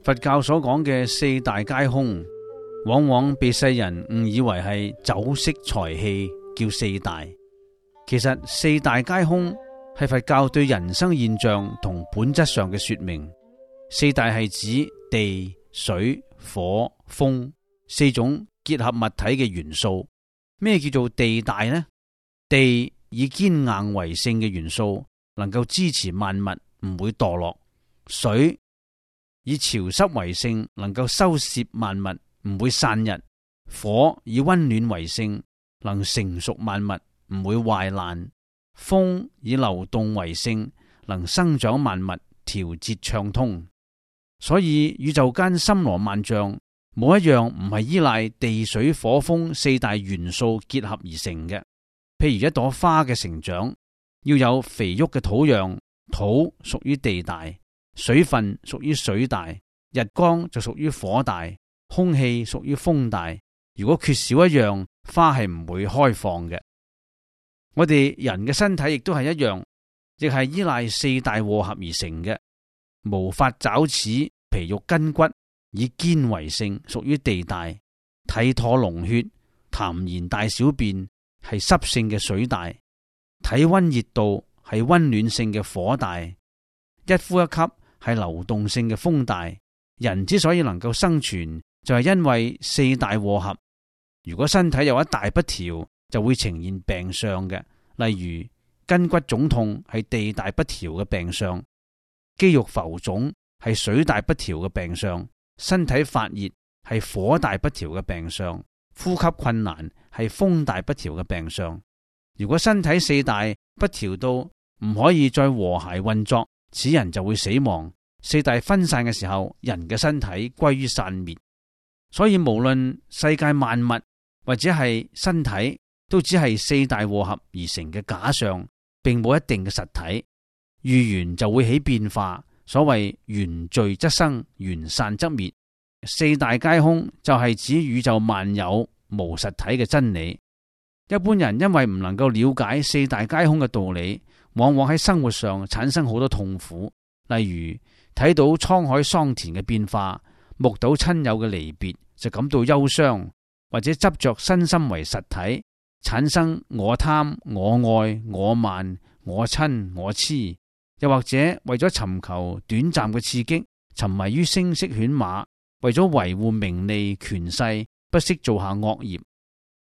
佛教所講嘅四大皆空，往往被世人誤以為係酒色財氣，叫四大。其實四大皆空係佛教對人生現象同本質上嘅說明。四大係指地、水、火、風四種結合物體嘅元素。咩叫做地大呢？地以堅硬為性嘅元素，能夠支持萬物唔會墮落；水以潮濕為性，能夠收攝萬物唔會散逸；火以溫暖為性，能成熟萬物唔會壞爛；風以流動為性，能生長萬物調節暢通。所以宇宙間森羅萬象，冇一樣唔係依賴地水火風四大元素結合而成嘅。譬如一朵花嘅成長，要有肥沃嘅土壤，土屬於地大；水分屬於水大；日光就屬於火大；空氣屬於風大。如果缺少一樣，花係唔會開放嘅。我哋人嘅身體亦都係一樣，亦係依賴四大和合而成嘅。毛髮爪齒皮肉筋骨以堅為性，屬於地大；體唾膿血痰涎大小便係濕性嘅水大；體溫熱度係溫暖性嘅火大；一呼一吸係流動性嘅風大。人之所以能夠生存，就係因為四大和合。如果身體有一大不調，就會呈現病相嘅，例如筋骨腫痛係地大不調嘅病相，肌肉浮腫係水大不調嘅病相，身體發熱係火大不調嘅病相，呼吸困難係風大不調嘅病相。如果身體四大不調到唔可以再和諧運作，此人就會死亡。四大分散嘅時候，人嘅身體歸於散滅。所以無論世界萬物或者係身體，都只係四大和合而成嘅假象，並冇一定嘅實體。遇緣就會起變化，所謂緣聚則生，緣散則滅。四大皆空就係指宇宙萬有無實體嘅真理。一般人因為唔能夠了解四大皆空嘅道理，往往喺生活上產生好多痛苦。例如睇到滄海桑田嘅變化，目睹親友嘅離別就感到憂傷，或者執着身心為實體，產生我貪、我愛、我慢、我親、我痴。又或者為咗尋求短暫嘅刺激，沉迷於聲色犬馬，為咗維護名利權勢，不惜做下惡業。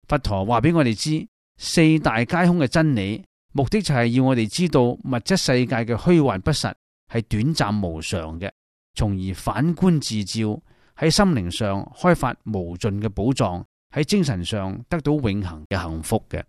佛陀話俾我哋知，四大皆空嘅真理，目的就係要我哋知道物質世界嘅虛幻不實係短暫無常嘅，從而反觀自照，喺心靈上開發無盡嘅寶藏，喺精神上得到永恆嘅幸福嘅。